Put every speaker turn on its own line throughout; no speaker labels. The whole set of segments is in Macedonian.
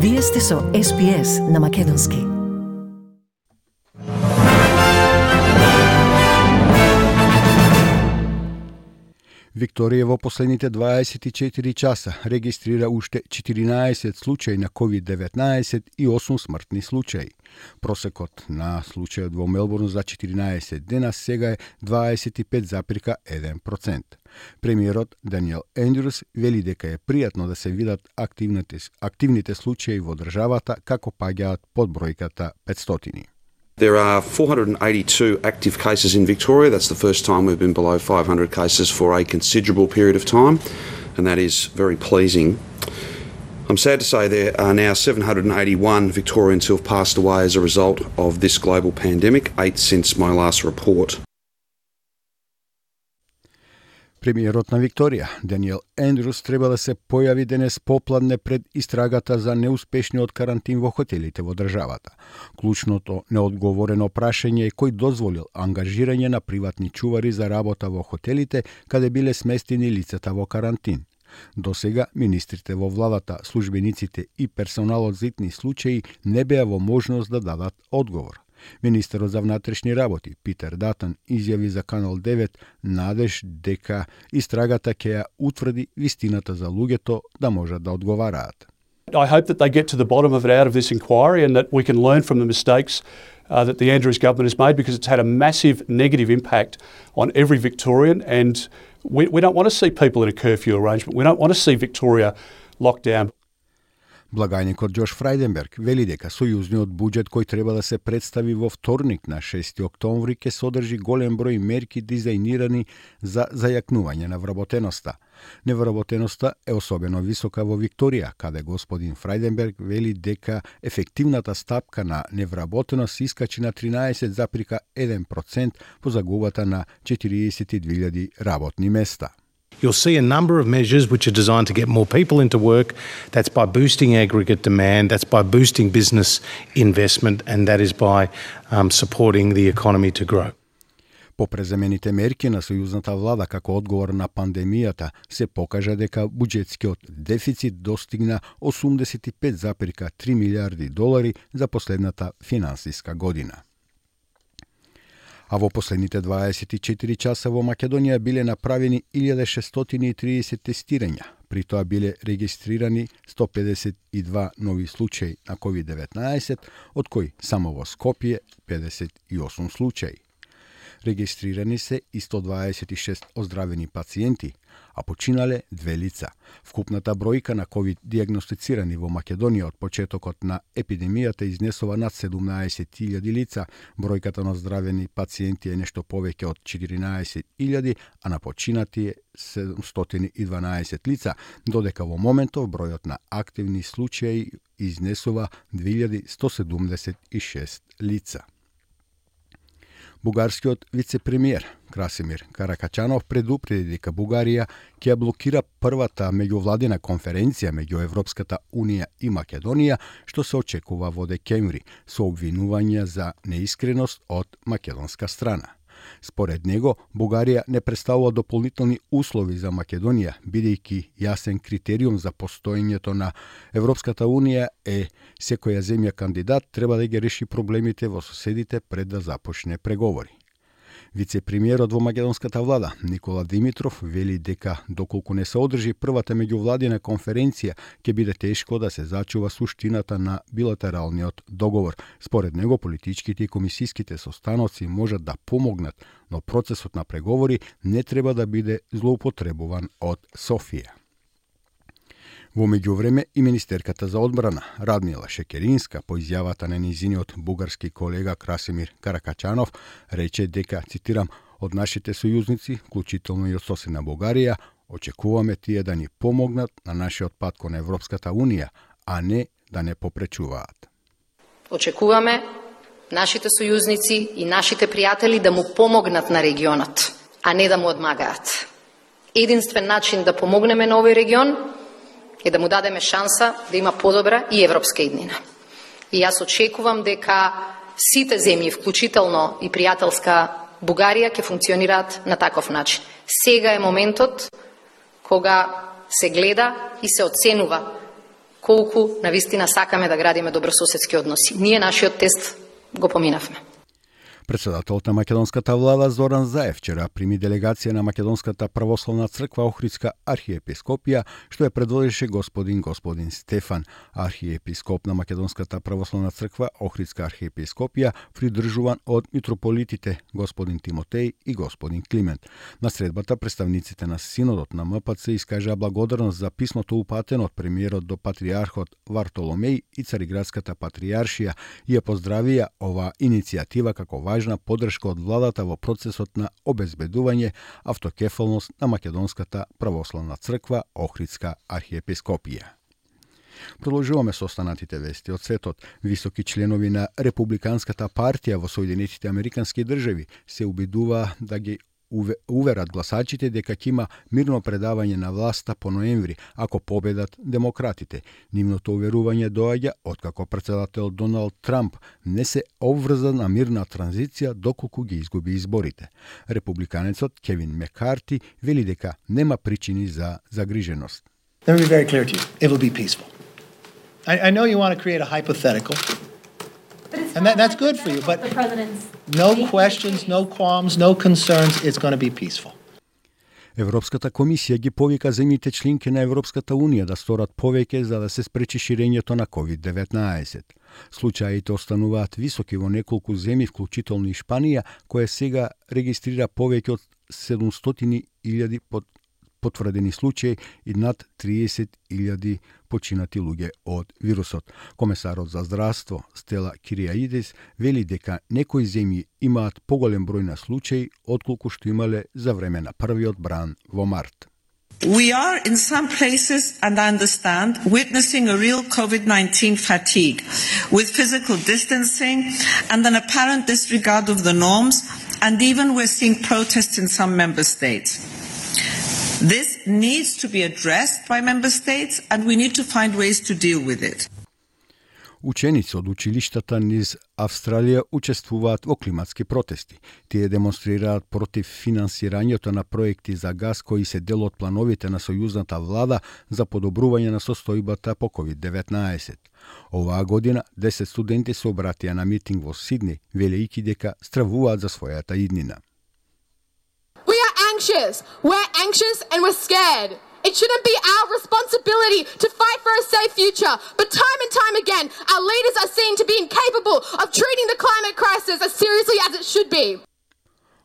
Вие сте со SPS на Македонски.
Викторија во последните 24 часа регистрира уште 14 случаи на COVID-19 и 8 смртни случаи. Просекот на случајот во Мелбурн за 14 дена сега е 25,1%. Премиерот Даниел Ендрюс вели дека е пријатно да се видат активните случаи во државата како паѓаат под бројката 500.
There are 482 active cases in Victoria. That's the first time we've been below 500 cases for a considerable period of time, and that is very pleasing. I'm sad to say there are now 781 Victorians who have passed away as a result of this global pandemic, 8 since my last report.
Премиерот на Викторија, Даниел Ендрюс, треба да се појави денес попладне пред истрагата за неуспешниот карантин во хотелите во државата. Клучното неодговорено прашање е кој дозволил ангажирање на приватни чувари за работа во хотелите каде биле сместени лицата во карантин. До сега, министрите во владата, службениците и персоналот за итни случаи не беа во можност да дадат одговор. Министерот за внатрешни работи Питер Датон изјави за Канал 9 надеж дека истрагата ќе ја утврди вистината за луѓето да можат да одговараат.
I hope that they get to the bottom of it out of this inquiry and that we can learn from the mistakes that the Andrews government has made, because it's had a massive negative impact on every Victorian, and we don't want to see people in a curfew arrangement. We don't want to see Victoria locked down.
Благајникот Џош Фрајденберг вели дека сојузниот буџет кој треба да се представи во вторник на 6 октомври ќе содржи голем број мерки дизајнирани за зајакнување на вработеноста. Невработеноста е особено висока во Викторија, каде господин Фрајденберг вели дека ефективната стапка на невработеност искачи на 13,1% по загубата на 42,000 работни места.
You'll see a number of measures which are designed to get more people into work. That's by boosting aggregate demand, that's by boosting business investment, and that is by supporting the economy to grow.
По преземените мерки на сојузната влада како одговор на пандемијата се покажа дека буџетскиот дефицит достигна 85,3 милиарди долари за последната финансиска година. А во последните 24 часа во Македонија биле направени 1630 тестирања. При тоа биле регистрирани 152 нови случаи на COVID-19, од кои само во Скопје 58 случаи. Регистрирани се и 126 оздравени пациенти, а починале 2 лица. Вкупната бројка на COVID диагностицирани во Македонија од почетокот на епидемијата изнесува над 17,000 лица. Бројката на оздравени пациенти е нешто повеќе од 14,000, а на починати е 712 лица, додека во моментов бројот на активни случаи изнесува 2176 лица. Бугарскиот вице-премиер Красимир Каракачанов предупреди дека Бугарија ќе блокира првата меѓувладина конференција меѓу Европската Унија и Македонија, што се очекува во декември, со обвинувања за неискреност од македонска страна. Според него, Бугарија не представува дополнителни услови за Македонија, бидејќи јасен критериум за постоењето на Европската Унија е секоја земја кандидат треба да ги реши проблемите во соседите пред да започне преговори. Вице-премиерот во македонската влада Никола Димитров вели дека доколку не се одржи првата меѓувладина конференција, ќе биде тешко да се зачува суштината на билатералниот договор. Според него, политичките и комисиските состаноци можат да помогнат, но процесот на преговори не треба да биде злоупотребуван од Софија. Во меѓувреме и министерката за одбрана Радмила Шекеринска по изјавата на низиниот бугарски колега Красимир Каракачанов рече дека, цитирам, од нашите сојузници, вклучително и од соседна Бугарија, очекуваме тие да ни помогнат на нашиот пат кон Европската Унија, а не да не попречуваат.
Очекуваме нашите сојузници и нашите пријатели да му помогнат на регионот, а не да му одмагаат. Единствен начин да помогнеме на овој регион е да му дадеме шанса да има подобра и европска иднина. И јас очекувам дека сите земји, вклучително и пријателска Бугарија, ќе функционираат на таков начин. Сега е моментот кога се гледа и се оценува колку навистина сакаме да градиме добрососедски односи. Ние нашиот тест го поминавме.
Председателот на македонската влада Зоран Заев вчера прими делегација на Македонската православна црква Охридска архиепископија, што ја предводеше господин Стефан. Архиепископ на Македонската православна црква Охридска архиепископија, придржуван од митрополитите господин Тимотеј и господин Климент. На средбата представниците на синодот на МПЦ искажаа благодарност за писмото упатено од премиерот до патриархот Вартоломеј и Цариградската патријаршија и ја поздравија оваа иницијатива како важна поддршка од владата во процесот на обезбедување автокефалност на Македонската православна црква Охридска архиепископија. Продолжуваме со останатите вести од светот. Високи членови на Републиканската партија во Соединетите Американски држави се убедува да ги уверат гласачите дека ќе има мирно предавање на власта по ноември ако победат демократите. Нивното уверување доаѓа откако председател Доналд Трамп не се обврза на мирна транзиција доколку ги изгуби изборите. Републиканецот Кевин Мекарти вели дека нема причини за загриженост.
Let me be very clear to you. It will be peaceful. I know you want to create a hypothetical. And that's good for you, but no questions, no qualms, no concerns, it's going to be peaceful.
Европската комисија ги повика земјите членки на Европската унија да сторат повеќе за да се спречи ширењето на COVID-19. Случаите остануваат високи во неколку земји, вклучително и Шпанија, која сега регистрира повеќе од 700.000 потврдени случаи и над 30.000 починати луѓе од вирусот. Комесарот за здравство Стела Кириаидис вели дека некои земји имаат поголем број на случаи отколку што имале за време на првиот бран во март.
We are in some places, and I understand, witnessing a real COVID-19 fatigue with physical distancing and an apparent disregard of the norms, and even we're seeing protests in some member states. This needs to be addressed by member states and we need to find ways to deal with it.
Ученици од училиштата низ Австралија учествуваат во климатски протести. Тие демонстрираат против финансирањето на проекти за газ кои се дел од плановите на сојузната влада за подобрување на состојбата по COVID-19. Оваа година 10 студенти се обратија на митинг во Сидни, велејќи дека стравуваат за својата иднина.
We're anxious and we're scared. It shouldn't be our responsibility to fight for a safe future, but time and time again, our leaders are seen to be incapable of treating the climate crisis as seriously as it should be.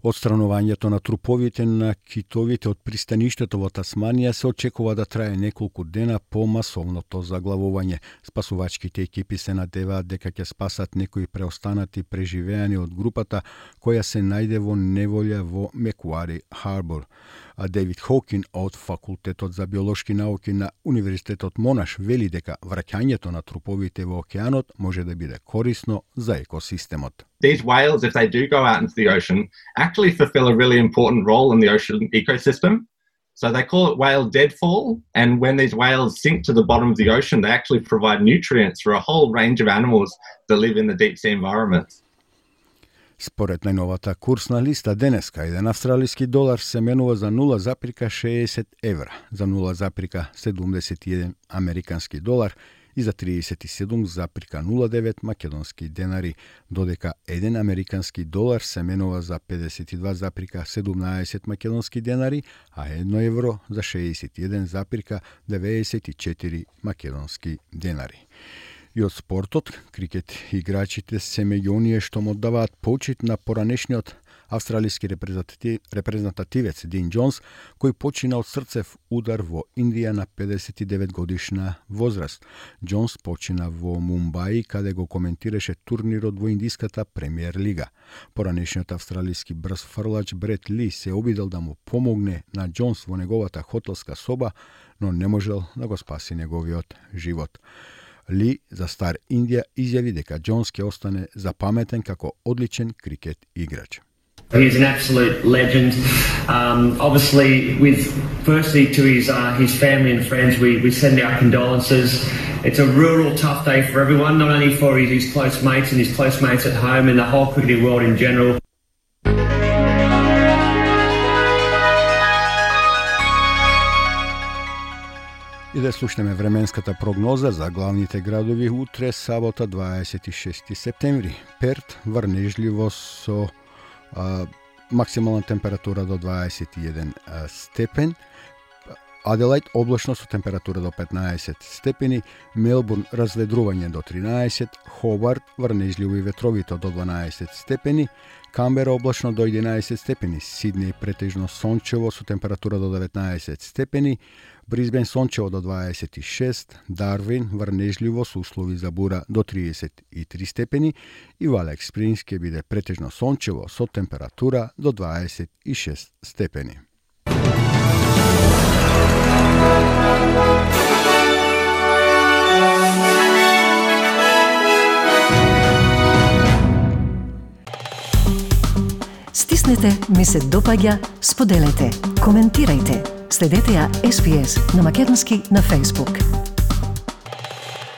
Отстранувањето на труповите на китовите од пристаништето во Тасманија се очекува да трае неколку дена по масовното заглавување. Спасувачките екипи се надеваат дека ќе спасат некои преостанати преживеани од групата која се најде во неволја во Мекуари Харбор. А Дейвид Хокин од Факултетот за биолошки науки на Универзитетот Монаш вели дека враќањето на труповите во океанот може да биде корисно за екосистемот.
These whales, if they do go out into the ocean, actually fulfill a really important role in the ocean ecosystem. So they call it whale deadfall, and when these whales sink to the bottom of the ocean, they actually provide nutrients for a whole range of animals that live in the deep sea environments.
Според најновата курсна листа денеска, еден австралиски долар се менува за 0,60 евра, за 0,71 американски долар и за 37,09 македонски денари, додека еден американски долар се менува за 52,17 македонски денари, а 1 евро за 61,94 македонски денари. И од спортот, крикет играчите се меѓу оние што му даваат почит на поранешниот австралиски репрезентативец Дин Џонс, кој почина од срцев удар во Индија на 59 годишна возраст. Џонс почина во Мумбаи, каде го коментираше турнирот во Индиската премиер лига. Поранешниот австралиски брз фрлач Брет Ли се обидел да му помогне на Џонс во неговата хотелска соба, но не можел да го спаси неговиот живот. Ли за Стар Индија изјави дека Џонс ќе остане запаметен како одличен крикет играч.
He's an absolute legend. Obviously, firstly to his family and friends, we send our condolences. It's a real tough day for everyone, not only for his close mates and his close mates at home and the whole cricketing world in general.
И да слушнеме временската прогноза за главните градови утре, сабота 26 септември. Перт врнежливо со максимална температура до 21 степен. Аделајд облачно со температура до 15 степени, Мелбурн разведрување до 13, Хобарт врнежливо и ветровито до 12 степени, Камбера облачно до 11 степени, Сиднеј претежно сончево со температура до 19 степени, Брисбен сончево до 26, Дарвин врнежливо со услови за бура до 33 степени и Валек Спрингс ќе биде претежно сончево со температура до 26 степени.
Стиснете ми се допаѓа, споделете, коментирајте. Следете ја SPS на Македонски на Facebook.